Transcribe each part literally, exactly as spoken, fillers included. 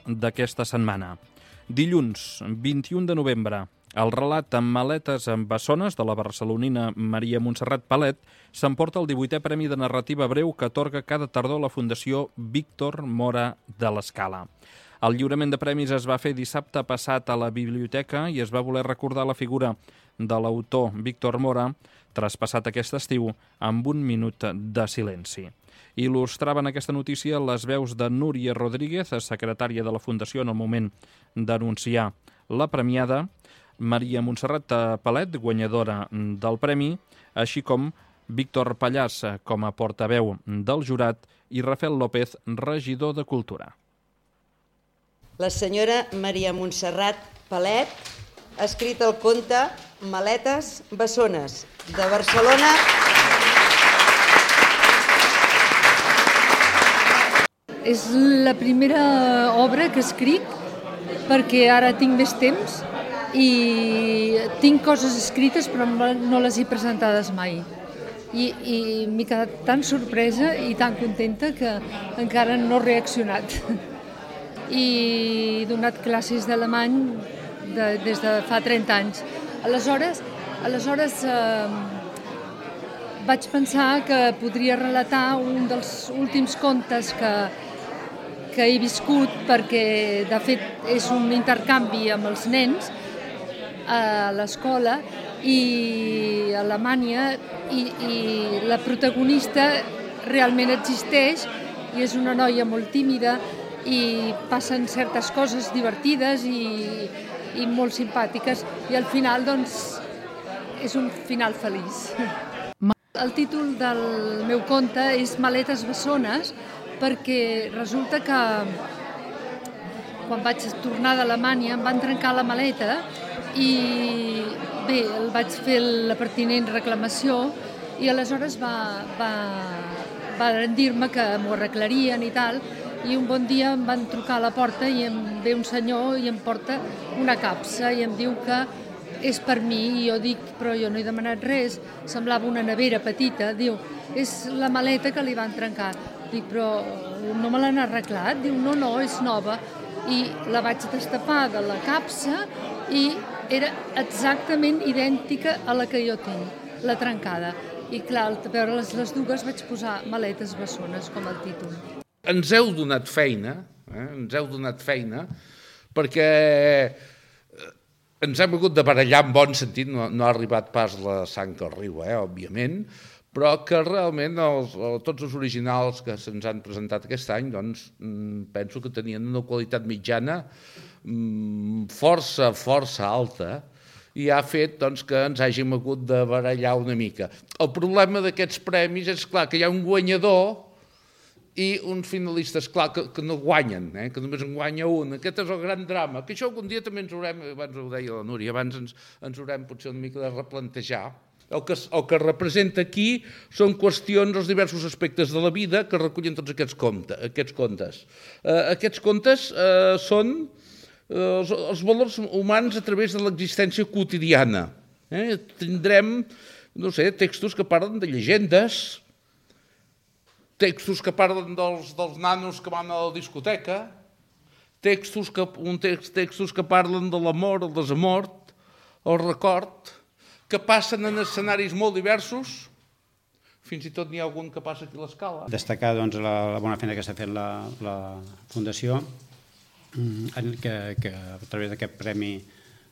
d'aquesta setmana. Dilluns, vint-i-un de novembre, el relat amb maletes amb bessones de la barcelonina Maria Montserrat Palet s'emporta el divuitè Premi de Narrativa Breu que atorga cada tardor la Fundació Víctor Mora de l'Escala. El lliurament de premis es va fer dissabte passat a la biblioteca i es va voler recordar la figura de l'autor Víctor Mora, traspassat aquest estiu amb un minut de silenci. Il·lustraven aquesta notícia les veus de Núria Rodríguez, secretària de la Fundació en el moment d'anunciar la premiada, Maria Montserrat Palet, guanyadora del premi, així com Víctor Pallàs com a portaveu del jurat i Rafael López, regidor de Cultura. La senyora Maria Montserrat Palet ha escrit el conte Maletes bessones, de Barcelona. És la primera obra que escric perquè ara tinc més temps i tinc coses escrites però no les he presentades mai. I, i m'he quedat tan sorpresa i tan contenta que encara no he reaccionat. I he donat classes d'alemany de, des de fa trenta anys. Aleshores, aleshores eh, vaig pensar que podria relatar un dels últims contes que, que he viscut, perquè de fet és un intercanvi amb els nens a l'escola i a Alemanya i, i la protagonista realment existeix i és una noia molt tímida i passen certes coses divertides i, i molt simpàtiques i al final doncs és un final feliç. El títol del meu conte és Maletes bessones perquè resulta que quan vaig tornar d'Alemanya em van trencar la maleta i bé, el vaig fer la pertinent reclamació i aleshores va, va, va dir-me que m'ho arreglarien i tal i un bon dia em van trucar a la porta i em ve un senyor i em porta una capsa i em diu que és per mi i jo dic, però jo no he demanat res, semblava una nevera petita, diu, és la maleta que li van trencar. Dic, però no me l'han arreglat? Diu, no, no, és nova. I la vaig destapar de la capsa i era exactament idèntica a la que jo tinc, la trencada. I clar, al veure les, les dues vaig posar Maletes bessones com el títol. Ens heu donat feina, eh? ens heu donat feina, perquè ens hem hagut de barallar en bon sentit, no, no ha arribat pas la sang al riu, eh, òbviament, però que realment els, tots els originals que se'ns han presentat aquest any doncs, penso que tenien una qualitat mitjana força, força alta i ha fet doncs, que ens hàgim hagut de barallar una mica. El problema d'aquests premis és clar que hi ha un guanyador i uns finalistes, clar, que, que no guanyen, eh? que només en guanya un. Aquest és el gran drama, que això algun dia també ens haurem, abans ho deia la Núria, abans ens, ens haurem potser una mica de replantejar. El que, el que representa aquí són qüestions, els diversos aspectes de la vida que recullen tots aquests, compte, aquests contes. Eh, aquests contes eh, són eh, els, els valors humans a través de l'existència quotidiana. Eh? Tindrem, no sé, textos que parlen de llegendes, textos que parlen dels, dels nanos que van a la discoteca, textos que, un text, textos que parlen de l'amor, el desamor, el record, que passen en escenaris molt diversos, fins i tot n'hi ha algun que passa aquí a l'Escala. Destacar doncs, la, la bona feina que està fent la, la Fundació, que, que a través d'aquest premi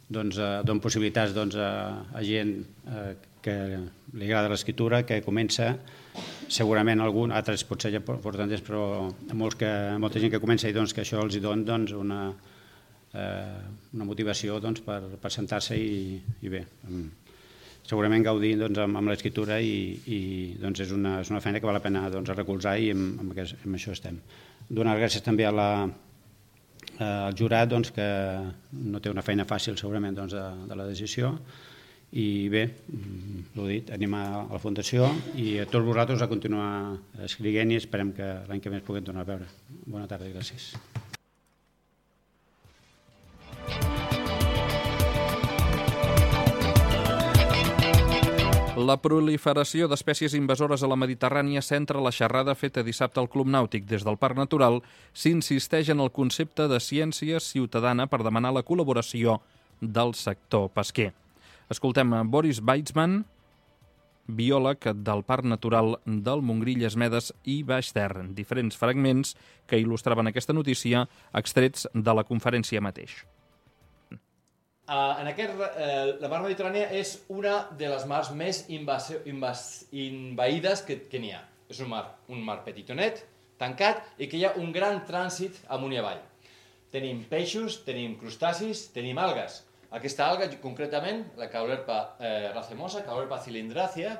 doncs, dona possibilitats doncs, a, a gent eh, que li agrada l'escriptura, que comença, segurament algun, altres potser ja porten temps, però molts que, molta gent que comença i doncs, que això els dona doncs, una, eh, una motivació doncs, per, per sentar-se i, i bé, segurament gaudir doncs, amb, amb l'escriptura i, i doncs, és, una, és una feina que val la pena doncs, recolzar i amb, amb, aquest, amb això estem. Donar gràcies també a la, al jurat doncs, que no té una feina fàcil segurament doncs, de, de la decisió i bé, l'ho dit, animar a la Fundació i a tots vosaltres a continuar escrivint i esperem que l'any que ve ens puguem tornar a veure. Bona tarda i gràcies. La proliferació d'espècies invasores a la Mediterrània centra la xerrada feta dissabte al Club Nàutic. Des del Parc Natural s'insisteix en el concepte de ciència ciutadana per demanar la col·laboració del sector pesquer. Escoltem a Boris Weitzman, biòleg del Parc Natural del Montgrí, Llesmedes i Baix Ter. Diferents fragments que il·lustraven aquesta notícia extrets de la conferència mateix. Uh, en aquest, uh, la mar Mediterrània és una de les mars més invas invas invaïdes que, que n'hi ha. És un mar, un mar petitonet, tancat, i que hi ha un gran trànsit amunt i avall. Tenim peixos, tenim crustacis, tenim algues. Aquesta alga, concretament, la Caulerpa eh, racemosa, Caulerpa cylindràcia,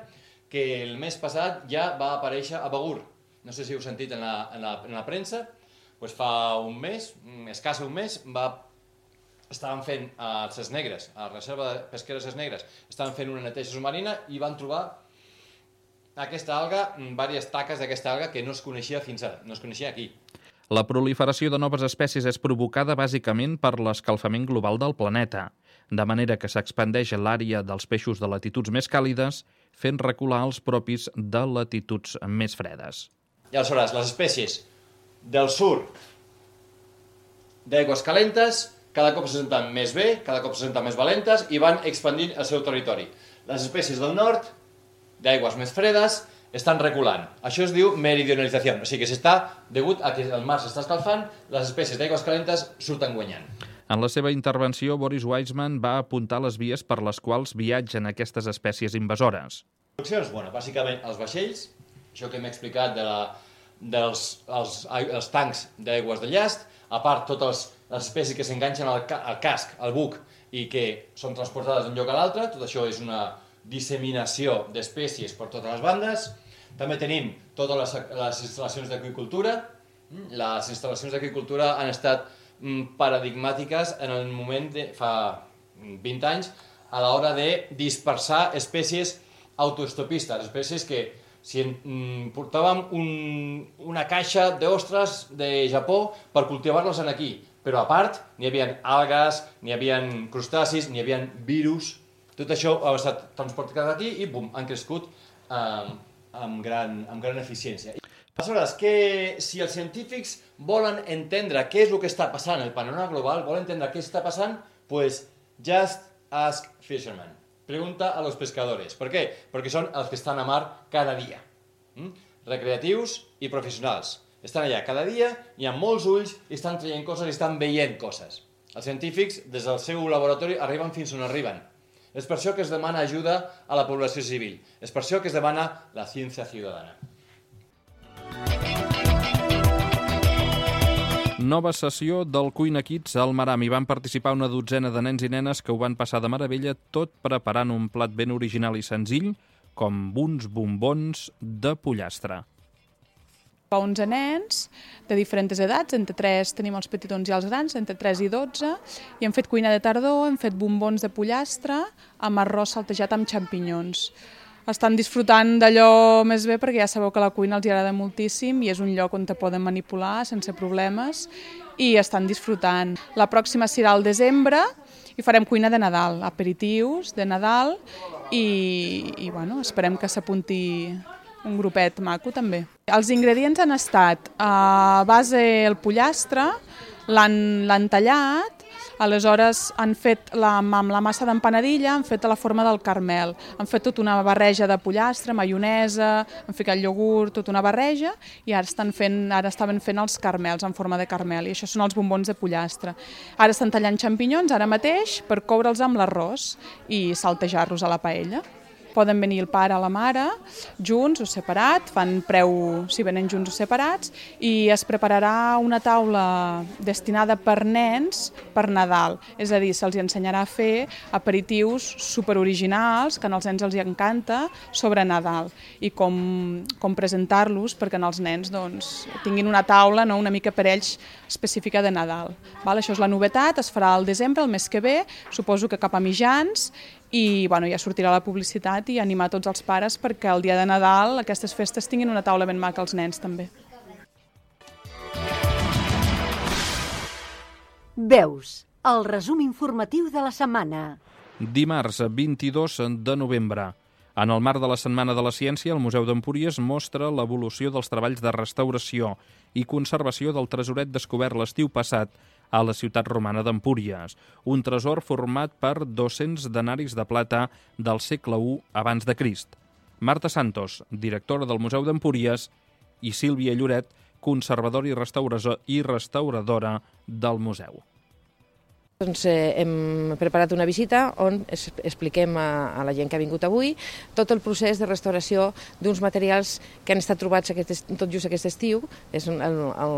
que el mes passat ja va aparèixer a Begur. No sé si heu sentit en la, en la, en la premsa, pues fa un mes, escàs un mes, va estaven fent a Ses Negres, a la reserva pesquera de Ses Negres, estaven fent una neteja submarina i van trobar aquesta alga, diverses taques d'aquesta alga que no es coneixia fins ara, no es coneixia aquí. La proliferació de noves espècies és provocada bàsicament per l'escalfament global del planeta, de manera que s'expandeix l'àrea dels peixos de latituds més càlides, fent recular els propis de latituds més fredes. I aleshores, les espècies del sud d'aigües calentes cada cop se senten més bé, cada cop se senten més valentes i van expandint el seu territori. Les espècies del nord, d'aigües més fredes, estan reculant. Això es diu meridionalització, o sigui que s'està, degut a que el mar s'està escalfant, les espècies d'aigües calentes surten guanyant. En la seva intervenció, Boris Weitzman va apuntar les vies per les quals viatgen aquestes espècies invasores. Bueno, bàsicament els vaixells, això que hem explicat de la, dels els, els tancs d'aigües de llast, a part totes les espècies que s'enganxen al, ca al casc, al buc, i que són transportades d'un lloc a l'altre, tot això és una disseminació d'espècies per totes les bandes. També tenim totes les, les instal·lacions d'agricultura. Les instal·lacions d'agricultura han estat paradigmàtiques en el moment de fa vint anys a l'hora de dispersar espècies autoestopistes, espècies que si en, portàvem un, una caixa d'ostres de Japó per cultivar-los aquí, però a part n'hi havia algues, n'hi havia crustacis, n'hi havia virus, tot això ha estat transportat aquí i bum, han crescut eh, amb, gran, amb gran eficiència. Aleshores, que si els científics volen entendre què és el que està passant, el panorama global, volen entendre què està passant, pues just ask fishermen. Pregunta a los pescadores. Per què? Perquè són els que estan a mar cada dia. Mm? Recreatius i professionals. Estan allà cada dia, hi ha molts ulls, i estan traient coses i estan veient coses. Els científics, des del seu laboratori, arriben fins on arriben. És per això que es demana ajuda a la població civil. És per això que es demana la ciència ciutadana. Nova sessió del Cuina Kids al Maram. Hi van participar una dotzena de nens i nenes que ho van passar de meravella, tot preparant un plat ben original i senzill, com uns bombons de pollastre. onze nens de diferents edats, entre tres tenim els petitons i els grans, entre tres i dotze, i hem fet cuina de tardor, hem fet bombons de pollastre amb arròs saltejat amb xampinyons. Estan disfrutant d'allò més bé perquè ja sabeu que la cuina els agrada moltíssim i és un lloc on te poden manipular sense problemes i estan disfrutant. La pròxima serà al desembre i farem cuina de Nadal, aperitius de Nadal i, i bueno, esperem que s'apunti un grupet maco també. Els ingredients han estat a base el pollastre, l'han tallat, aleshores han fet la, amb la massa d'empanadilla, han fet a la forma del carmel, han fet tota una barreja de pollastre, maionesa, han ficat iogurt, tota una barreja i ara, estan fent, ara estaven fent els carmels en forma de carmel i això són els bombons de pollastre. Ara estan tallant xampinyons ara mateix per coure'ls amb l'arròs i saltejar-los a la paella. Poden venir el pare o la mare, junts o separat, fan preu si venen junts o separats, i es prepararà una taula destinada per nens per Nadal. És a dir, se'ls ensenyarà a fer aperitius superoriginals, que als nens els encanta, sobre Nadal, i com, com presentar-los perquè els nens doncs, tinguin una taula no, una mica per ells específica de Nadal. Val? Això és la novetat, es farà al desembre, el mes que ve, suposo que cap a mitjans, i bueno, ja sortirà la publicitat i animar tots els pares perquè el dia de Nadal aquestes festes tinguin una taula ben maca als nens també. Veus, el resum informatiu de la setmana. Dimarts, vint-i-dos de novembre. En el marc de la Setmana de la Ciència, el Museu d'Empúries mostra l'evolució dels treballs de restauració i conservació del tresoret descobert l'estiu passat a la ciutat romana d'Empúries, un tresor format per dos-cents denaris de plata del segle u abans de Crist. Marta Santos, directora del Museu d'Empúries, i Sílvia Lloret, conservadora i restauradora del museu. Doncs eh, hem preparat una visita on es, expliquem a, a la gent que ha vingut avui tot el procés de restauració d'uns materials que han estat trobats aquest, tot just aquest estiu. És un, el, el,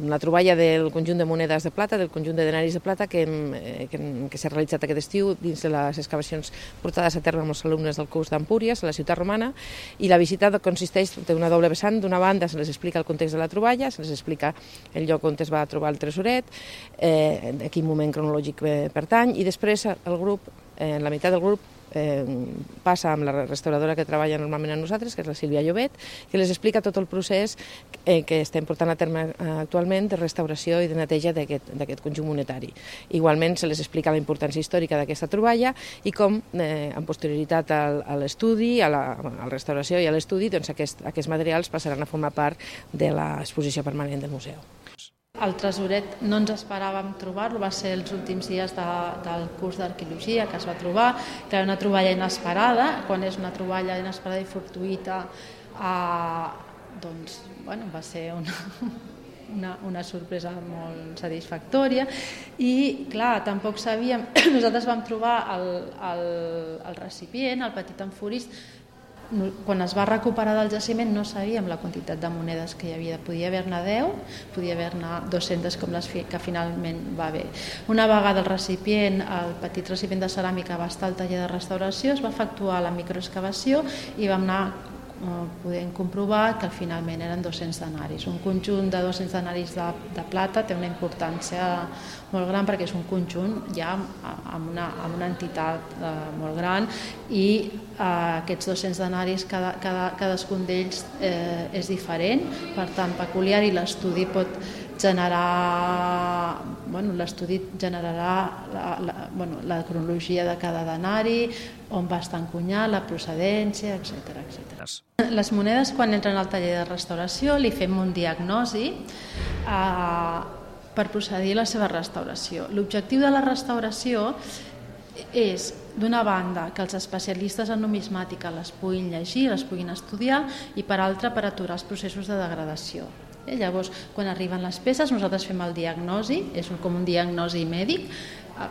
una troballa del conjunt de monedes de plata, del conjunt de denaris de plata que, hem, eh, que, que s'ha realitzat aquest estiu dins de les excavacions portades a terme amb els alumnes del curs d'Empúries, a la ciutat romana, i la visita consisteix en una doble vessant. D'una banda se les explica el context de la troballa, se les explica el lloc on es va trobar el tresoret, eh, en quin moment cronològic pertany, i després el grup, eh, la meitat del grup eh, passa amb la restauradora que treballa normalment amb nosaltres, que és la Sílvia Llobet, que les explica tot el procés eh, que estem portant a terme actualment de restauració i de neteja d'aquest conjunt monetari. Igualment se les explica la importància històrica d'aquesta troballa i com, eh, en posterioritat al, a l'estudi, a, la, a la restauració i a l'estudi, doncs aquest, aquests materials passaran a formar part de l'exposició permanent del museu. El tresoret no ens esperàvem trobar-lo, va ser els últims dies de, del curs d'arqueologia que es va trobar, que era una troballa inesperada. Quan és una troballa inesperada i fortuïta, eh, doncs, bueno, va ser una, una, una sorpresa molt satisfactòria. I, clar, tampoc sabíem... Nosaltres vam trobar el, el, el recipient, el petit amforís. Quan es va recuperar del jaciment no sabíem la quantitat de monedes que hi havia. Podia haver-ne deu, podia haver-ne dos-centes com les que finalment va haver. Una vegada el recipient, el petit recipient de ceràmica va estar al taller de restauració, es va efectuar la microexcavació i vam anar podem comprovar que finalment eren dos-cents denaris. Un conjunt de dos-cents denaris de, de plata té una importància molt gran perquè és un conjunt ja amb una, amb una entitat eh, molt gran i eh, aquests dos-cents denaris, cada, cada, cadascun d'ells eh, és diferent, per tant peculiar, i l'estudi pot generar, bueno, l'estudi generarà la, la, bueno, la cronologia de cada denari, on va estar encunyat, la procedència, etcètera, etcètera. Les monedes, quan entren al taller de restauració, li fem un diagnosi eh, per procedir a la seva restauració. L'objectiu de la restauració és, d'una banda, que els especialistes en numismàtica les puguin llegir, les puguin estudiar, i per altra, per aturar els processos de degradació. Eh, llavors, quan arriben les peces, nosaltres fem el diagnosi, és un, com un diagnosi mèdic,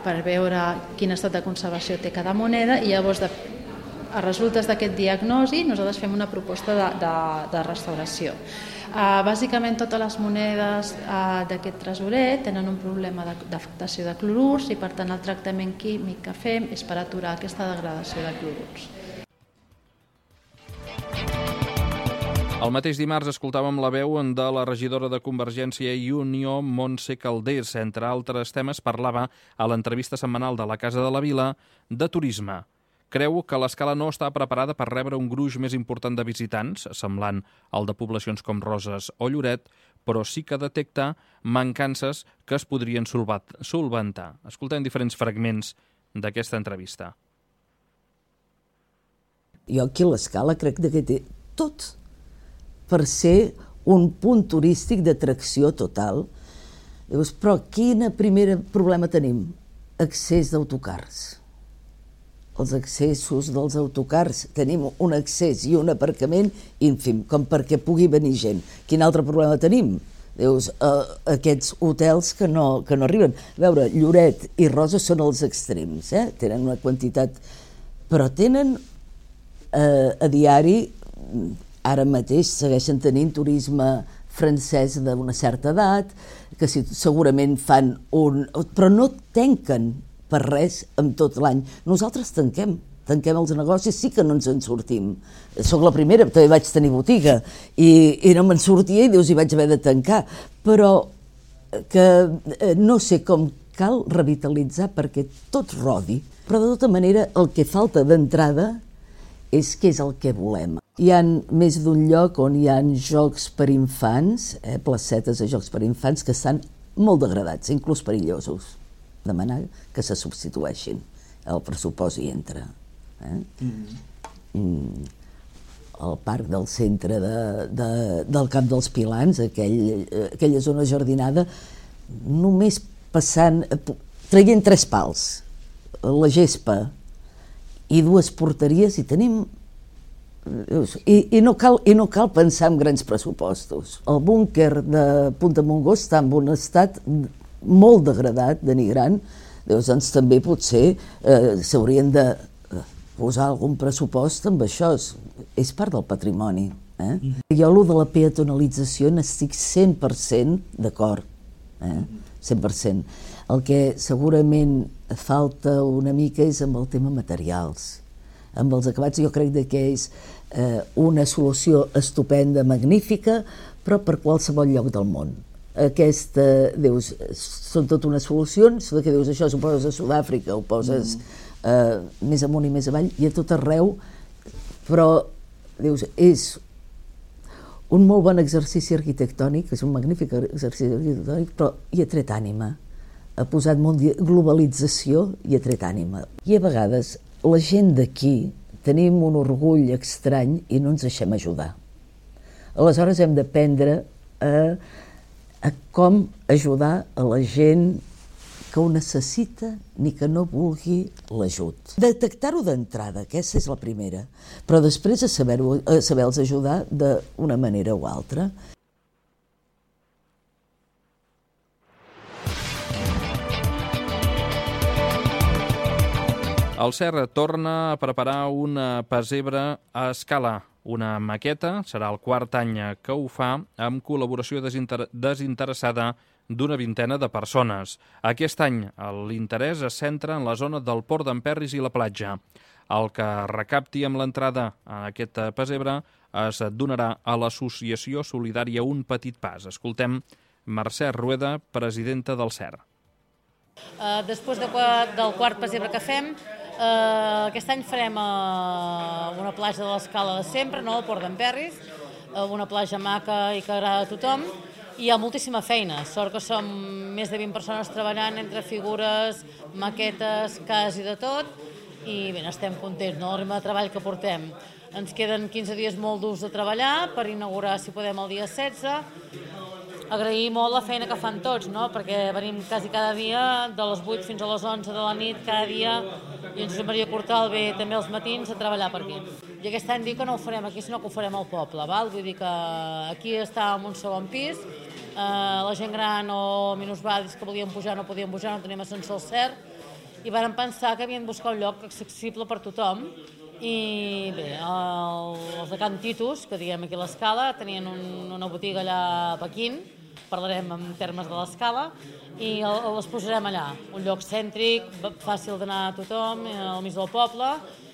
per veure quin estat de conservació té cada moneda, i llavors, de, a resultes d'aquest diagnosi, nosaltres fem una proposta de, de, de restauració. Uh, bàsicament, totes les monedes uh, d'aquest tresoret tenen un problema d'afectació de clorurs i, per tant, el tractament químic que fem és per aturar aquesta degradació de clorurs. El mateix dimarts escoltàvem la veu de la regidora de Convergència i Unió, Montse Calders. Entre altres temes, parlava a l'entrevista setmanal de la Casa de la Vila de turisme. Creu que l'escala no està preparada per rebre un gruix més important de visitants, semblant al de poblacions com Roses o Lloret, però sí que detecta mancances que es podrien solventar. Escoltem diferents fragments d'aquesta entrevista. Jo aquí a l'escala crec que té tot per ser un punt turístic d'atracció total. Llavors, però quin primer problema tenim? Accés d'autocars. Els accessos dels autocars. Tenim un accés i un aparcament ínfim, com perquè pugui venir gent. Quin altre problema tenim? Dius, eh, aquests hotels que no, que no arriben. A veure, Lloret i Roses són els extrems, eh? Tenen una quantitat, però tenen eh, a diari, ara mateix segueixen tenint turisme francès d'una certa edat, que si, segurament fan un... però no tanquen per res amb tot l'any. Nosaltres tanquem, tanquem els negocis, sí que no ens en sortim. Soc la primera, també vaig tenir botiga i, i no me'n sortia i dius, hi vaig haver de tancar. Però que no sé com cal revitalitzar perquè tot rodi. Però de tota manera el que falta d'entrada és què és el que volem. Hi ha més d'un lloc on hi ha jocs per infants, eh, placetes de jocs per infants, que estan molt degradats, inclús perillosos. Demanar que se substitueixin. El pressupost hi entra. Eh? Mm. al parc del centre de, de, del Camp dels Pilans, aquell, aquella zona jardinada, només passant, traient tres pals, la gespa i dues porteries, i tenim... I, i, no cal, i no cal pensar en grans pressupostos. El búnquer de Punta Montgó està en un estat molt degradat, denigrant. Doncs també potser eh, s'haurien de posar algun pressupost amb això. És part del patrimoni. Eh? Jo, allò de la peatonalització, n'estic cent per cent d'acord. Eh? cent per cent. El que segurament falta una mica és amb el tema materials. Amb els acabats jo crec que és eh, una solució estupenda, magnífica, però per qualsevol lloc del món. Aquesta, dius, són tot unes solucions, que dius això, ho poses a Sud-àfrica, ho poses eh, més amunt i més avall, i a tot arreu, però, dius, és un molt bon exercici arquitectònic, és un magnífic exercici arquitectònic, però hi ha tret ànima. Ha posat molt de globalització i ha tret ànima. I a vegades la gent d'aquí tenim un orgull estrany i no ens deixem ajudar. Aleshores hem d'aprendre a, a com ajudar a la gent que ho necessita ni que no vulgui l'ajut. Detectar-ho d'entrada, aquesta és la primera, però després a saber-ho, a saber-los ajudar d'una manera o altra. El Serra torna a preparar una pessebre a escala. Una maqueta, serà el quart any que ho fa, amb col·laboració desinter desinteressada d'una vintena de persones. Aquest any l'interès es centra en la zona del Port d'Emperris i la platja. El que recapti amb l'entrada a aquesta pessebre es donarà a l'associació solidària Un Petit Pas. Escoltem Mercè Rueda, presidenta del Serra. Uh, després de, del quart pessebre que fem, uh, aquest any farem uh, una platja de l'escala de sempre, no? El Port d'Emperris, uh, una platja maca i que agrada a tothom, i hi ha moltíssima feina. Sort que som més de vint persones treballant entre figures, maquetes, cas i de tot, i bé, estem contents, no? El ritme de treball que portem. Ens queden quinze dies molt durs de treballar per inaugurar, si podem, el dia setze. Agrair molt la feina que fan tots, no? Perquè venim quasi cada dia, de les vuit fins a les onze de la nit, cada dia, i en Josep Maria Cortal ve també als matins a treballar per aquí. I aquest any dic que no ho farem aquí, sinó que ho farem al poble, val? Vull dir que aquí estàvem un segon pis, eh, la gent gran o minusvàlids que volien pujar no podien pujar, no teníem ascensor al Cert, i vàrem pensar que havien de buscar un lloc accessible per tothom. I bé, el, els de Can Titus, que diguem aquí a l'Escala, tenien un, una botiga allà a Pequín, parlarem en termes de l'Escala, i el, les posarem allà. Un lloc cèntric, fàcil d'anar a tothom, al mig del poble,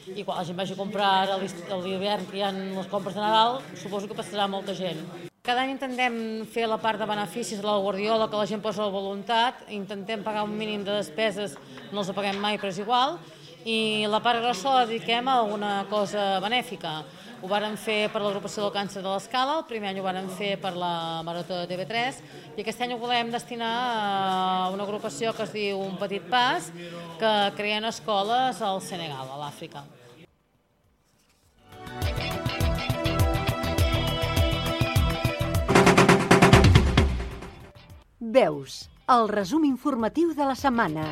i quan la gent vagi a comprar a l'hivern, que hi ha les compres de Nadal, suposo que passarà molta gent. Cada any intentem fer la part de beneficis de la Guardiola, que la gent posa la voluntat, intentem pagar un mínim de despeses, no els paguem mai, però és igual, i la part grossa la dediquem a alguna cosa benèfica. Ho vàrem fer per l'agrupació del càncer de l'Escala, el primer any ho vàrem fer per la Marató de T V tres, i aquest any ho volem destinar a una agrupació que es diu Un Petit Pas, que creen escoles al Senegal, a l'Àfrica. Veus, el resum informatiu de la setmana.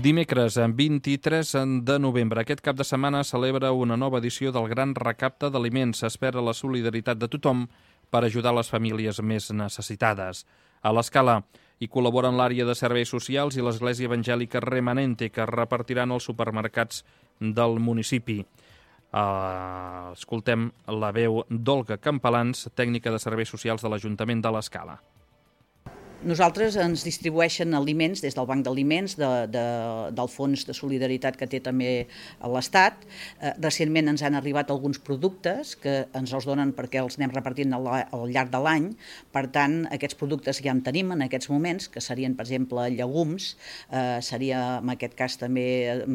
Dimecres, vint-i-tres de novembre, aquest cap de setmana celebra una nova edició del Gran Recapte d'Aliments. S'espera la solidaritat de tothom per ajudar les famílies més necessitades. A l'Escala hi col·laboren l'àrea de serveis socials i l'Església Evangèlica Remanente, que repartiran els supermercats del municipi. Uh, escoltem la veu d'Olga Campalans, tècnica de serveis socials de l'Ajuntament de l'Escala. Nosaltres ens distribueixen aliments des del Banc d'Aliments, de, de, del Fons de Solidaritat que té també l'Estat. Eh, recentment ens han arribat alguns productes que ens els donen perquè els anem repartint al, al llarg de l'any. Per tant, aquests productes ja en tenim en aquests moments, que serien, per exemple, llegums, eh, seria, en aquest cas, també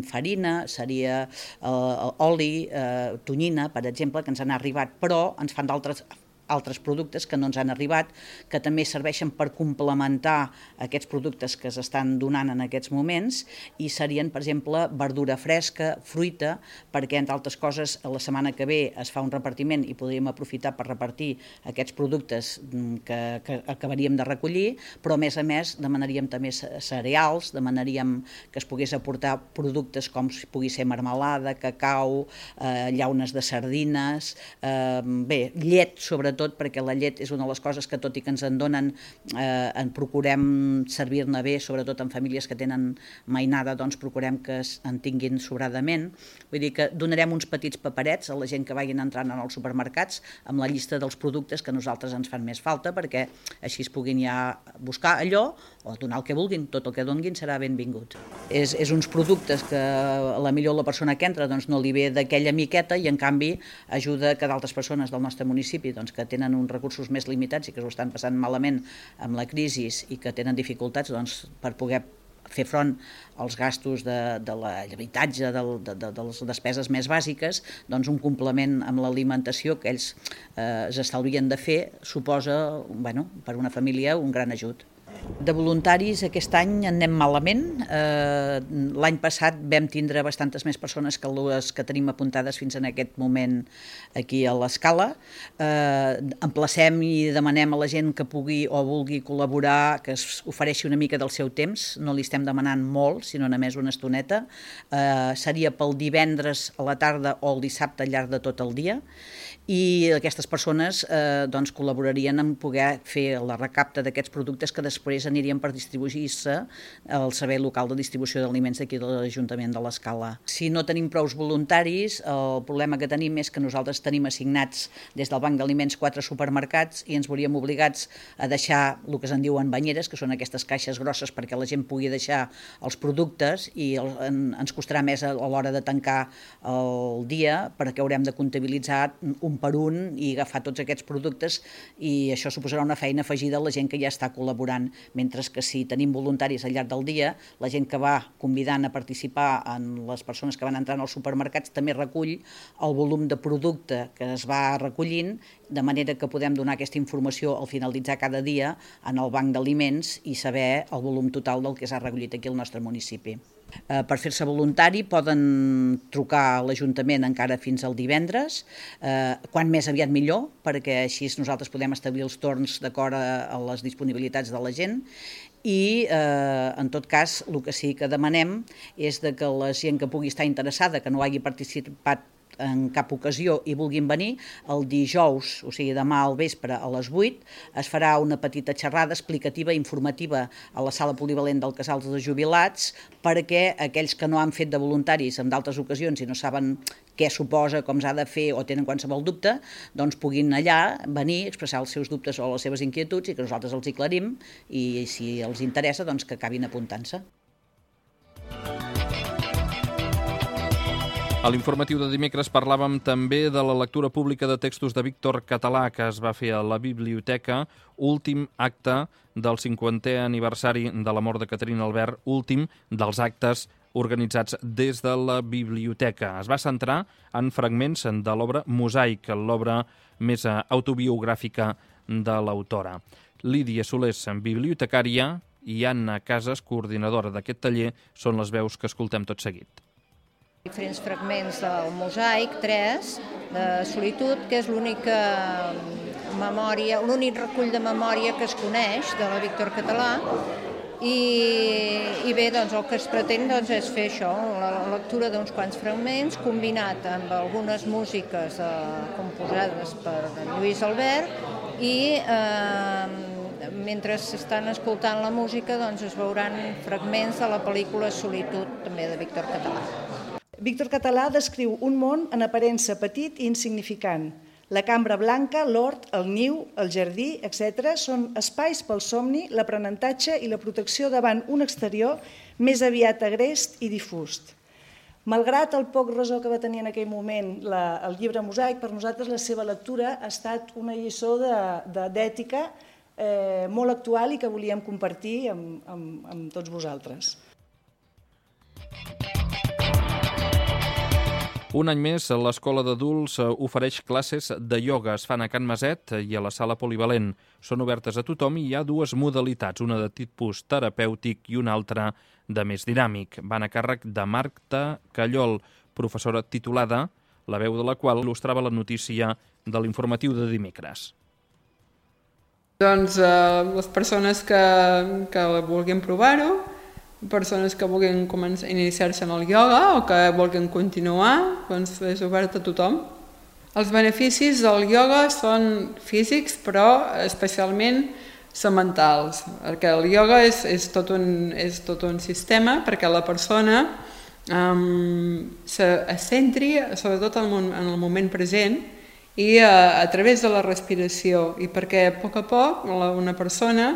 farina, seria eh, oli, eh, tonyina, per exemple, que ens han arribat, però ens fan d'altres altres productes que no ens han arribat, que també serveixen per complementar aquests productes que s'estan donant en aquests moments, i serien, per exemple, verdura fresca, fruita, perquè, entre altres coses, la setmana que ve es fa un repartiment i podríem aprofitar per repartir aquests productes que, que acabaríem de recollir, però, a més a més, demanaríem també cereals, demanaríem que es pogués aportar productes com si pugui ser marmelada, cacau, eh, llaunes de sardines, eh, bé, llet, sobretot, tot, perquè la llet és una de les coses que, tot i que ens en donen, eh, en procurem servir-ne bé, sobretot en famílies que tenen mainada, doncs procurem que en tinguin sobradament. Vull dir que donarem uns petits paperets a la gent que vagin entrant en els supermercats amb la llista dels productes que a nosaltres ens fan més falta, perquè així es puguin ja buscar allò o donar el que vulguin, tot el que donguin serà benvingut. És, és uns productes que a la millor la persona que entra doncs, no li ve d'aquella miqueta i en canvi ajuda que d'altres persones del nostre municipi doncs, que tenen uns recursos més limitats i que s'ho estan passant malament amb la crisi i que tenen dificultats doncs, per poder fer front als gastos de, de l'habitatge, de, de, de, de les despeses més bàsiques, doncs un complement amb l'alimentació que ells eh, s'estalvien de fer suposa, bueno, per una família, un gran ajut. De voluntaris aquest any en anem malament. Eh, L'any passat vam tindre bastantes més persones que les que tenim apuntades fins en aquest moment aquí a l'Escala. Eh, emplacem i demanem a la gent que pugui o vulgui col·laborar, que es ofereixi una mica del seu temps. No li estem demanant molt, sinó només una estoneta. Eh, seria pel divendres a la tarda o el dissabte al llarg de tot el dia. I aquestes persones eh, doncs, col·laborarien en poder fer la recapta d'aquests productes que després anirien per distribuir-se al servei local de distribució d'aliments d'aquí de l'Ajuntament de l'Escala. Si no tenim prous voluntaris, el problema que tenim és que nosaltres tenim assignats des del Banc d'Aliments quatre supermercats i ens veuríem obligats a deixar el que se'n diuen banyeres, que són aquestes caixes grosses perquè la gent pugui deixar els productes i el, en, ens costarà més a, a l'hora de tancar el dia perquè haurem de comptabilitzar un per un i agafar tots aquests productes i això suposarà una feina afegida a la gent que ja està col·laborant, mentre que si tenim voluntaris al llarg del dia, la gent que va convidant a participar en les persones que van entrant als supermercats també recull el volum de producte que es va recollint, de manera que podem donar aquesta informació al finalitzar cada dia en el banc d'aliments i saber el volum total del que s'ha recollit aquí al nostre municipi. Eh, per fer-se voluntari poden trucar a l'Ajuntament encara fins al divendres, eh, quan més aviat millor, perquè així nosaltres podem establir els torns d'acord a, a les disponibilitats de la gent i eh, en tot cas el que sí que demanem és de que la gent que pugui estar interessada, que no hagi participat en cap ocasió i vulguin venir, el dijous, o sigui demà al vespre a les vuit, es farà una petita xerrada explicativa i informativa a la sala polivalent del Casal de Jubilats perquè aquells que no han fet de voluntaris en d'altres ocasions i no saben què suposa, com s'ha de fer o tenen qualsevol dubte, doncs puguin allà venir, expressar els seus dubtes o les seves inquietuds i que nosaltres els aclarim i si els interessa doncs que acabin apuntant-se. A l'informatiu de dimecres parlàvem també de la lectura pública de textos de Víctor Català que es va fer a la biblioteca, últim acte del cinquantè aniversari de la mort de Caterina Albert, últim dels actes organitzats des de la biblioteca. Es va centrar en fragments de l'obra Mosaic, l'obra més autobiogràfica de l'autora. Lídia Solés, bibliotecària, i Anna Casas, coordinadora d'aquest taller, són les veus que escoltem tot seguit. Diferents fragments del Mosaic, tres, de solitud, que és l'única memòria, l'únic recull de memòria que es coneix de la Víctor Català i, i bé, doncs el que es pretén doncs, és fer això, la lectura d'uns quants fragments combinat amb algunes músiques eh, composades per Lluís Albert i eh, mentre s'estan escoltant la música doncs, es veuran fragments de la pel·lícula Solitud, també de Víctor Català. Víctor Català descriu un món en aparença petit i insignificant. La cambra blanca, l'hort, el niu, el jardí, etcètera són espais pel somni, l'aprenentatge i la protecció davant un exterior més aviat agrest i difús. Malgrat el poc ressò que va tenir en aquell moment la, el llibre Mosaic, per nosaltres la seva lectura ha estat una lliçó d'ètica eh, molt actual i que volíem compartir amb, amb, amb tots vosaltres. Un any més, l'Escola d'Adults ofereix classes de ioga. Es fan a Can Maset i a la Sala Polivalent. Són obertes a tothom i hi ha dues modalitats, una de tipus terapèutic i una altra de més dinàmic. Van a càrrec de Marta Callol, professora titulada, la veu de la qual il·lustrava la notícia de l'informatiu de dimecres. Doncs eh, les persones que, que vulguin provar-ho, persones que vulguin començar a iniciar-se en el ioga o que vulguin continuar, doncs és obert a tothom. Els beneficis del ioga són físics, però especialment són mentals, perquè el ioga és, és, tot, un, és tot un sistema perquè la persona um, se centri sobretot en el moment present i a, a través de la respiració, i perquè a poc a poc una persona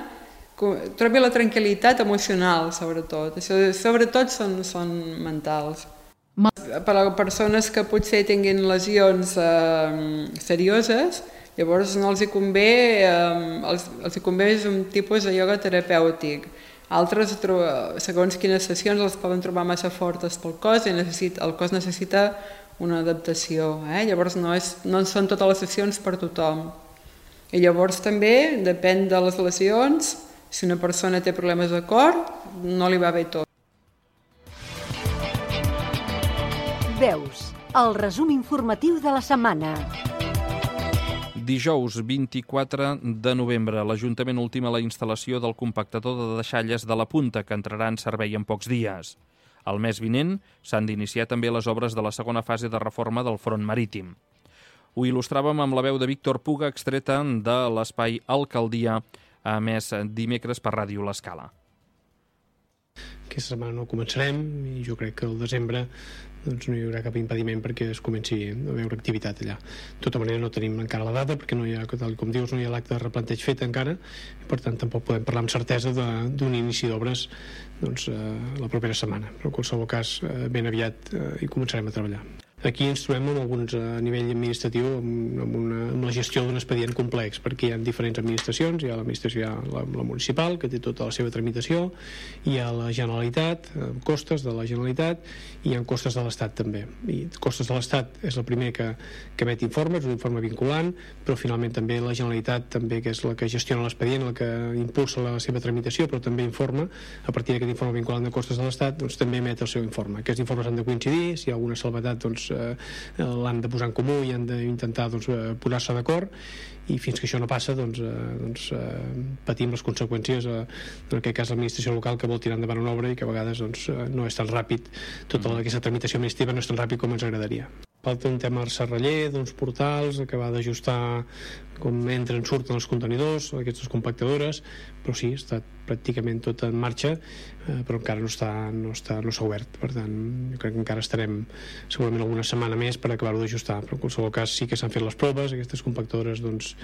trobi la tranquil·litat emocional, sobretot. Això, sobretot són, són mentals. Per a persones que potser tinguin lesions eh, serioses, llavors no els hi convé, eh, els, els hi convé un tipus de ioga terapèutic. Altres, segons quines sessions, els poden trobar massa fortes pel cos i necessita, el cos necessita una adaptació. Eh? Llavors no, és, no són totes les sessions per tothom. I llavors també, depèn de les lesions, si una persona té problemes de cor, no li va bé tot. Veus, el resum informatiu de la setmana. Dijous vint-i-quatre de novembre, l'Ajuntament ultima la instal·lació del compactador de deixalles de la Punta, que entrarà en servei en pocs dies. El mes vinent s'han d'iniciar també les obres de la segona fase de reforma del front marítim. Ho il·lustràvem amb la veu de Víctor Puga, extreta de l'espai Alcaldia, a més dimecres per Ràdio L'Escala. Aquesta setmana no començarem i jo crec que al desembre doncs, no hi haurà cap impediment perquè es comenci a veure activitat allà. De tota manera no tenim encara la data perquè no hi ha, tal com dius, no hi ha l'acte de replanteig fet encara i per tant tampoc podem parlar amb certesa d'un inici d'obres doncs, eh, la propera setmana, però en qualsevol cas eh, ben aviat eh, hi començarem a treballar. Aquí ens trobem amb alguns a nivell administratiu amb, amb, una, amb la gestió d'un expedient complex perquè hi ha diferents administracions, hi ha l'administració, hi ha la, la municipal que té tota la seva tramitació, hi ha la Generalitat, costes de la Generalitat i hi ha costes de l'Estat també. I costes de l'Estat és el primer que, que emet informes, un informe vinculant, però finalment també la Generalitat també que és la que gestiona l'expedient, la que impulsa la seva tramitació, però també informa, a partir d'aquest informe vinculant de costes de l'Estat, doncs també emet el seu informe. Aquests informes han de coincidir, si hi ha alguna salvetat doncs Eh, l'han de posar en comú i han d'intentar doncs, posar-se d'acord i fins que això no passa doncs, eh, doncs, eh, patim les conseqüències eh, en aquest cas l'administració local que vol tirar endavant una obra i que a vegades doncs, eh, no és tan ràpid tota mm. aquesta tramitació administrativa no és tan ràpid com ens agradaria. Falta un tema al serraller, d'uns portals, acabar d'ajustar com entren, surten els contenidors, aquestes compactadores, però sí, està pràcticament tot en marxa, eh, però encara no està, no està, no s'ha obert. Per tant, jo crec que encara estarem segurament alguna setmana més per acabar-ho d'ajustar, però en qualsevol cas sí que s'han fet les proves, aquestes compactadores doncs,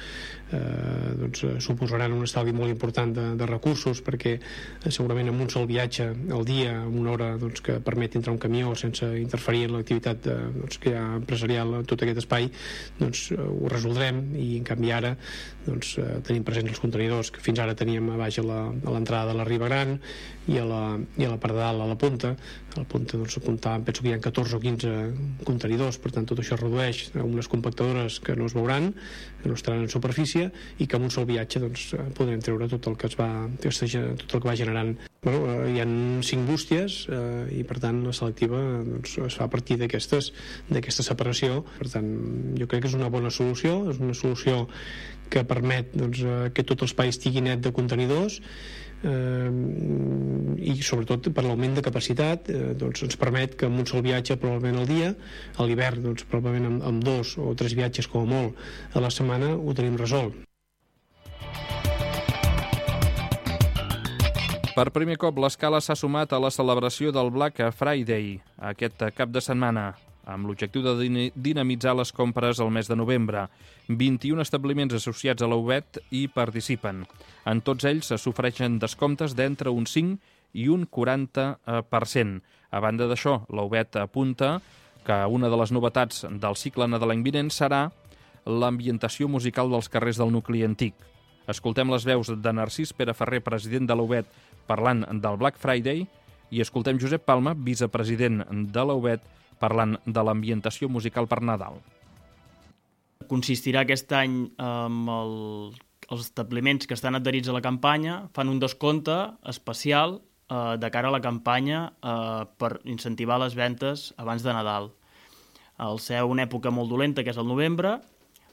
eh, doncs, suposaran un estalvi molt important de, de recursos, perquè eh, segurament amb un sol viatge al dia, amb una hora doncs, que permet entrar un camió sense interferir en l'activitat de, doncs, que hi ha empresarial en tot aquest espai, doncs eh, ho resoldrem i en canvi ara doncs, eh, tenim presents els contenidors que fins ara teníem a baix a l'entrada de la Riba Gran i a la, i a la part de dalt a la punta. A la punta doncs, apuntàvem, penso que hi ha catorze o quinze contenidors, per tant tot això redueix a unes compactadores que no es veuran, que no estaran en superfície i que amb un sol viatge doncs, podrem treure tot el que es va, tot el que va generant. Bueno, eh, hi ha cinc bústies eh, i per tant la selectiva doncs, es fa a partir d'aquestes d'aquesta separació. Per tant, jo crec que és una bona solució, és una solució que permet doncs, que tot l'espai estigui net de contenidors eh, i sobretot per l'augment de capacitat eh, doncs ens permet que amb un sol viatge probablement al dia, a l'hivern doncs, probablement amb, amb dos o tres viatges com a molt a la setmana ho tenim resolt. Per primer cop l'Escala s'ha sumat a la celebració del Black Friday aquest cap de setmana, amb l'objectiu de dinamitzar les compres al mes de novembre. vint-i-un establiments associats a la U B E T hi participen. En tots ells s'ofereixen descomptes d'entre un cinc i un quaranta per cent. A banda d'això, la U B E T apunta que una de les novetats del cicle nadalenc vinent serà l'ambientació musical dels carrers del nucli antic. Escoltem les veus de Narcís Pere Ferrer, president de la U B E T, parlant del Black Friday, i escoltem Josep Palma, vicepresident de la U B E T, parlant de l'ambientació musical per Nadal. Consistirà aquest any amb el, els establiments que estan adherits a la campanya, fan un descompte especial eh, de cara a la campanya eh, per incentivar les ventes abans de Nadal. Al ser una època molt dolenta, que és el novembre,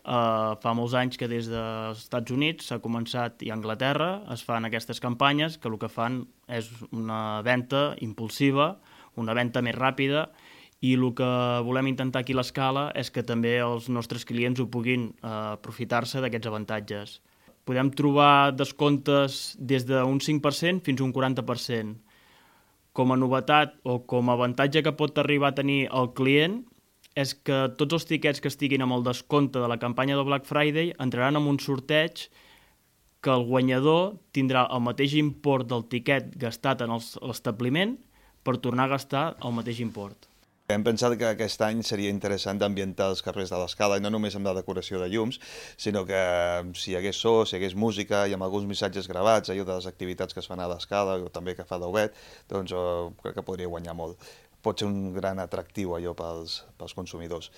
Uh, fa molts anys que des dels Estats Units s'ha començat, i a Anglaterra es fan aquestes campanyes que el que fan és una venda impulsiva, una venda més ràpida, i el que volem intentar aquí a l'Escala és que també els nostres clients ho puguin uh, aprofitar-se d'aquests avantatges. Podem trobar descomptes des d'un cinc per cent fins a un quaranta per cent. Com a novetat o com a avantatge que pot arribar a tenir el client és que tots els tiquets que estiguin amb el descompte de la campanya del Black Friday entraran en un sorteig que el guanyador tindrà el mateix import del tiquet gastat en l'establiment per tornar a gastar el mateix import. Hem pensat que aquest any seria interessant d'ambientar els carrers de l'Escala, i no només amb la decoració de llums, sinó que si hi hagués so, si hi hagués música i amb alguns missatges gravats, allò de les activitats que es fan a l'Escala o també que fa d'Obet, doncs oh, crec que podria guanyar molt. Pot ser un gran atractiu allò pels, pels consumidors.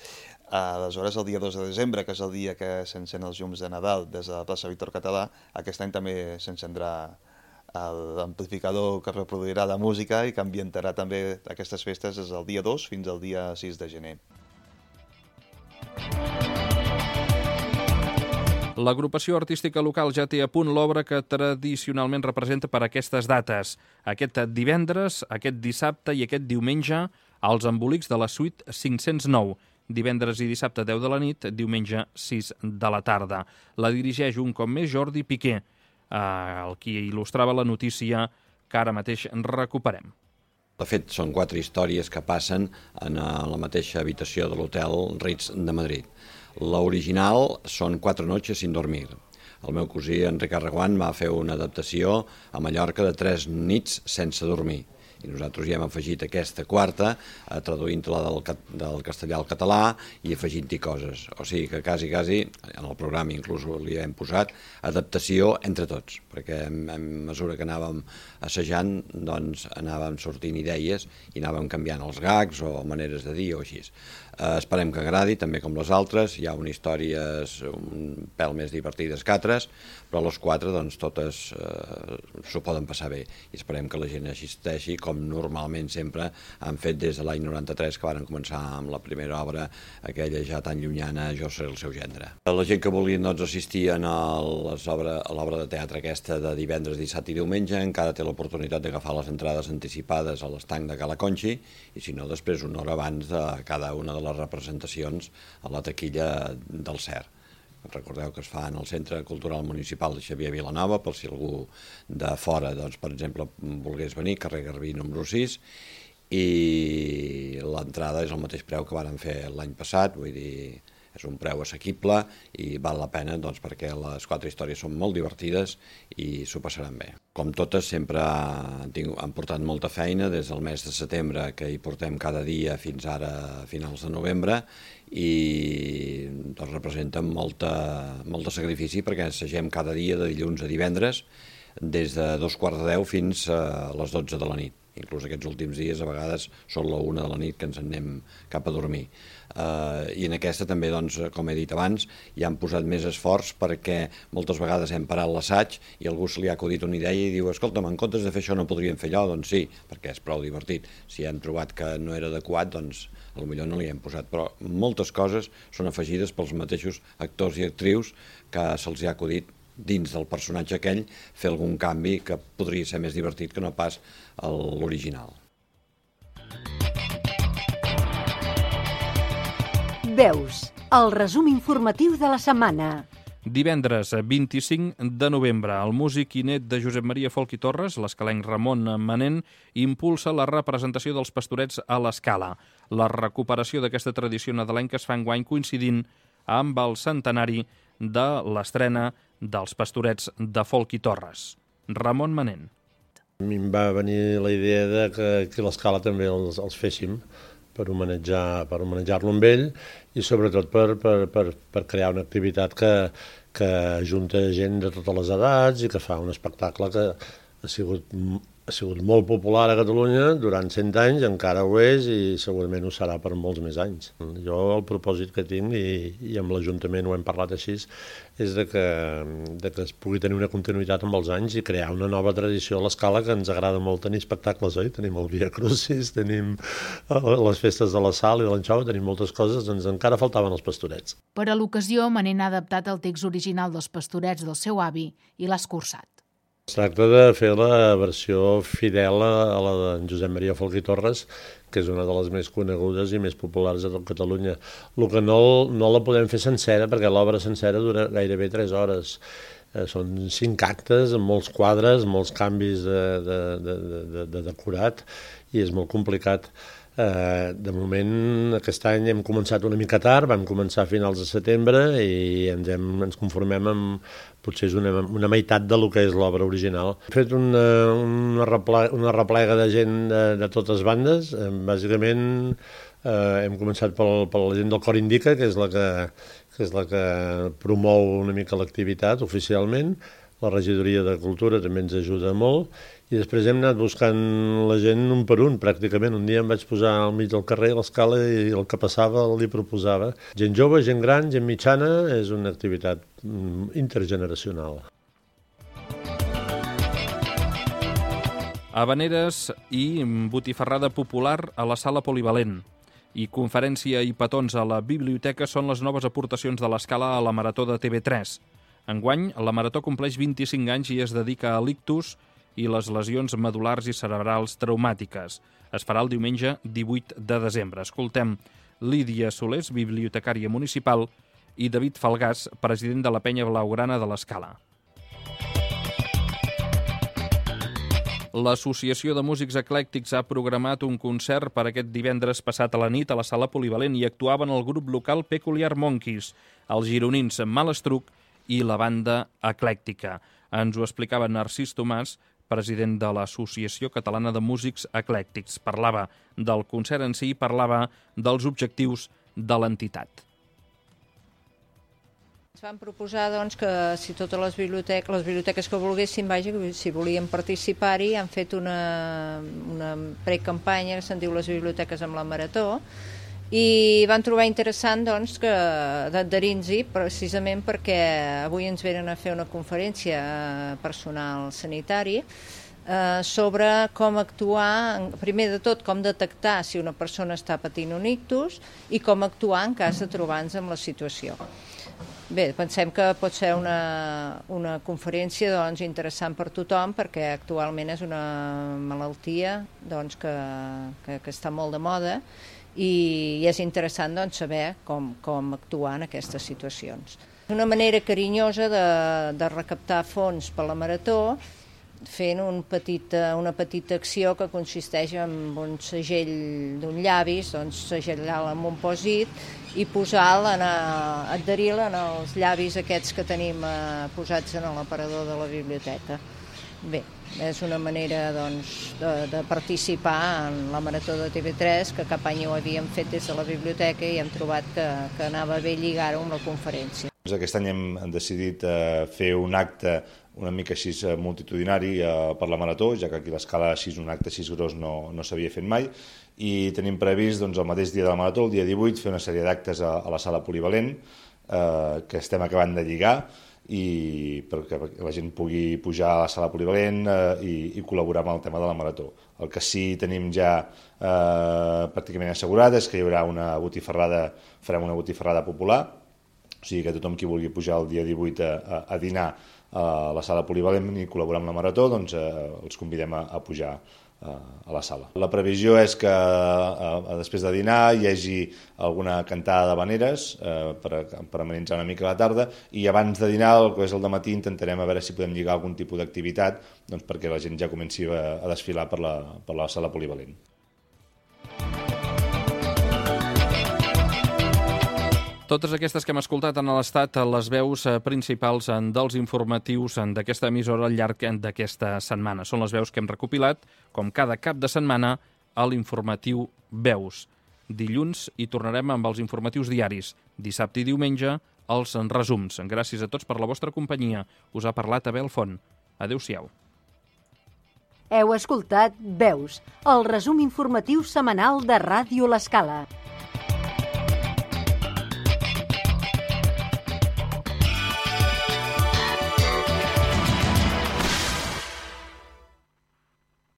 Aleshores, el dia dos de desembre, que és el dia que s'encén els llums de Nadal des de la plaça Víctor Català, aquest any també s'encendrà l'amplificador que reproduirà la música i que ambientarà també aquestes festes des del dia dos fins al dia sis de gener. L'agrupació artística local ja té a punt l'obra que tradicionalment representa per aquestes dates. Aquest divendres, aquest dissabte i aquest diumenge, als embolics de la suite cinc-cents nou. Divendres i dissabte deu de la nit, diumenge sis de la tarda. La dirigeix un cop més Jordi Piqué, el qui il·lustrava la notícia que ara mateix recuperem. De fet, són quatre històries que passen en la mateixa habitació de l'hotel Ritz de Madrid. L'original són Quatre noches sin dormir. El meu cosí Enric Arreguant va fer una adaptació a Mallorca de Tres nits sense dormir. I nosaltres hi hem afegit aquesta quarta, traduint-la del, del castellà al català i afegint-hi coses. O sigui que quasi, quasi, en el programa inclús li hem posat adaptació entre tots, perquè a mesura que anàvem assajant, doncs anàvem sortint idees i anàvem canviant els gags o maneres de dir o així. Eh, esperem que agradi, també com les altres. Hi ha unes històries un pèl més divertides que altres, però les quatre, doncs, totes eh, s'ho poden passar bé. I esperem que la gent assisteixi, com normalment sempre han fet des de l'any noranta-tres, que van començar amb la primera obra, aquella ja tan llunyana, Jo seré el seu gendre. La gent que vulgui, doncs, assistir a l'obra de teatre aquesta de divendres, dissabte i diumenge encara té l'oportunitat d'agafar les entrades anticipades a l'estanc de Cala Conxi, i si no, després una hora abans de cada una de les representacions a la taquilla del C E R. Recordeu que es fa en el Centre Cultural Municipal de Xavier Vilanova, per si algú de fora, doncs, per exemple, volgués venir, carrer Garbí número sis, i l'entrada és el mateix preu que varen fer l'any passat, vull dir, és un preu assequible i val la pena, doncs, perquè les quatre històries són molt divertides i s'ho passaran bé. Com totes, sempre han, tingut, han portat molta feina des del mes de setembre, que hi portem cada dia fins ara a finals de novembre, i doncs, representen molta, molt de sacrifici perquè assagem cada dia de dilluns a divendres des de dos quarts de deu fins a les dotze de la nit. Inclús aquests últims dies a vegades són la una de la nit que ens en anem cap a dormir. Uh, I en aquesta també, doncs, com he dit abans, hi han posat més esforç perquè moltes vegades hem parat l'assaig i algú se li ha acudit una idea i diu escolta'm, en comptes de fer això no podríem fer allò? Doncs sí, perquè és prou divertit. Si hem trobat que no era adequat, doncs potser no li hem posat, però moltes coses són afegides pels mateixos actors i actrius que se'ls ha acudit dins del personatge aquell fer algun canvi que podria ser més divertit que no pas l'original. Veus, el resum informatiu de la setmana. Divendres vint-i-cinc de novembre, el músic i net de Josep Maria Folch i Torres, l'escalenc Ramon Manent, impulsa la representació dels Pastorets a l'Escala. La recuperació d'aquesta tradició nadalenca es fa enguany coincidint amb el centenari de l'estrena dels Pastorets de Folch i Torres. Ramon Manent. A mi em va venir la idea de que aquí a l'Escala també els, els féssim per homenatjar, per homenatjar-lo amb ell i sobretot per, per, per, per crear una activitat que, que ajunta gent de totes les edats i que fa un espectacle que ha sigut ha sigut molt popular a Catalunya durant cent anys, encara ho és i segurament ho serà per molts més anys. Jo el propòsit que tinc, i, i amb l'Ajuntament ho hem parlat així, és de que, de que es pugui tenir una continuïtat amb els anys i crear una nova tradició a l'Escala, que ens agrada molt tenir espectacles, oi? Tenim el Via Crucis, tenim les festes de la Sal i de l'Anxova, tenim moltes coses, doncs encara faltaven els pastorets. Per a l'ocasió, Manent ha adaptat el text original dels pastorets del seu avi i l'ha escurçat. Es tracta de fer la versió fidel a la de Josep Maria Folch i Torres, que és una de les més conegudes i més populars de tot Catalunya. El que no, no la podem fer sencera, perquè l'obra sencera dura gairebé tres hores. Eh, són cinc actes, amb molts quadres, molts canvis de, de, de, de, de decorat, i és molt complicat. Eh, de moment, aquest any hem començat una mica tard, vam començar a finals de setembre i ens, hem, ens conformem amb potser és una, una meitat del que és l'obra original. Hem fet una, una, replega, una replega de gent de, de totes bandes. Eh, bàsicament eh, hem començat pel, per la gent del Cor Indica, que és la que, que és la que promou una mica l'activitat oficialment. La regidoria de Cultura també ens ajuda molt. I després hem anat buscant la gent un per un, pràcticament. Un dia em vaig posar al mig del carrer a l'Escala i el que passava li proposava. Gent jove, gent gran, gent mitjana, és una activitat intergeneracional. Havaneres i botifarrada popular a la sala polivalent. I conferència i petons a la biblioteca són les noves aportacions de l'Escala a la Marató de T V tres. Enguany, la Marató compleix vint-i-cinc anys i es dedica a l'ictus i les lesions medul·lars i cerebrals traumàtiques. Es farà el diumenge divuit de desembre. Escoltem Lídia Solés, bibliotecària municipal, i David Falgàs, president de la Penya Blaugrana de l'Escala. L'Associació de Músics Eclèctics ha programat un concert per aquest divendres passat a la nit a la sala polivalent i actuaven el grup local Peculiar Monkeys, els gironins Malastruc i la banda eclèctica. Ens ho explicava Narcís Tomàs, president de l'Associació Catalana de Músics Eclèctics. Parlava del concert en si i parlava dels objectius de l'entitat. Ens van proposar doncs, que si totes les biblioteques, les biblioteques que volguessin, vaja, si volien participar-hi, han fet una, una precampanya que se'n diu les biblioteques amb la Marató, i van trobar interessant doncs, que d'adherir-nos-hi precisament perquè avui ens venen a fer una conferència personal sanitari eh, sobre com actuar, primer de tot com detectar si una persona està patint un ictus i com actuar en cas de trobar-nos amb la situació. Bé, pensem que pot ser una, una conferència doncs, interessant per tothom perquè actualment és una malaltia doncs, que, que, que està molt de moda i és interessant doncs, saber com, com actuar en aquestes situacions. Una manera carinyosa de, de recaptar fons per la Marató fent un petit, una petita acció que consisteix en un segell d'un llavis, doncs segellar-la amb un pòsit i posar-la, adherir-la en els llavis aquests que tenim eh, posats en l'aparador de la biblioteca. Bé, és una manera doncs, de, de participar en la Marató de T V tres, que cap any ho havíem fet des de la biblioteca i hem trobat que, que anava bé lligar-ho amb la conferència. Aquest any hem decidit eh, fer un acte una mica així multitudinari eh, per la Marató, ja que aquí a l'Escala així un acte així gros no, no s'havia fet mai, i tenim previst doncs, el mateix dia de la Marató, el dia divuit, fer una sèrie d'actes a, a la sala polivalent, eh, que estem acabant de lligar, i perquè la gent pugui pujar a la sala polivalent eh, i, i col·laborar amb el tema de la Marató. El que sí tenim ja eh, pràcticament assegurat és que hi haurà una botifarrada, farem una botifarrada popular, o sigui que tothom qui vulgui pujar el dia divuit a, a, a dinar a la sala polivalent i col·laborar amb la Marató, doncs eh, els convidem a, a pujar a la sala. La previsió és que eh, després de dinar hi hagi alguna cantada d'havaneres eh, per, per amenitzar una mica la tarda, i abans de dinar, el que és el dematí, intentarem a veure si podem lligar algun tipus d'activitat doncs, perquè la gent ja comenci a, a desfilar per la, per la sala polivalent. Totes aquestes que hem escoltat han estat les veus principals dels informatius d'aquesta emissora al llarg d'aquesta setmana. Són les veus que hem recopilat, com cada cap de setmana, a l'informatiu Veus. Dilluns hi tornarem amb els informatius diaris. Dissabte i diumenge, els resums. Gràcies a tots per la vostra companyia. Us ha parlat Abel Font. Adéu-siau. Heu escoltat Veus, el resum informatiu setmanal de Ràdio L'Escala.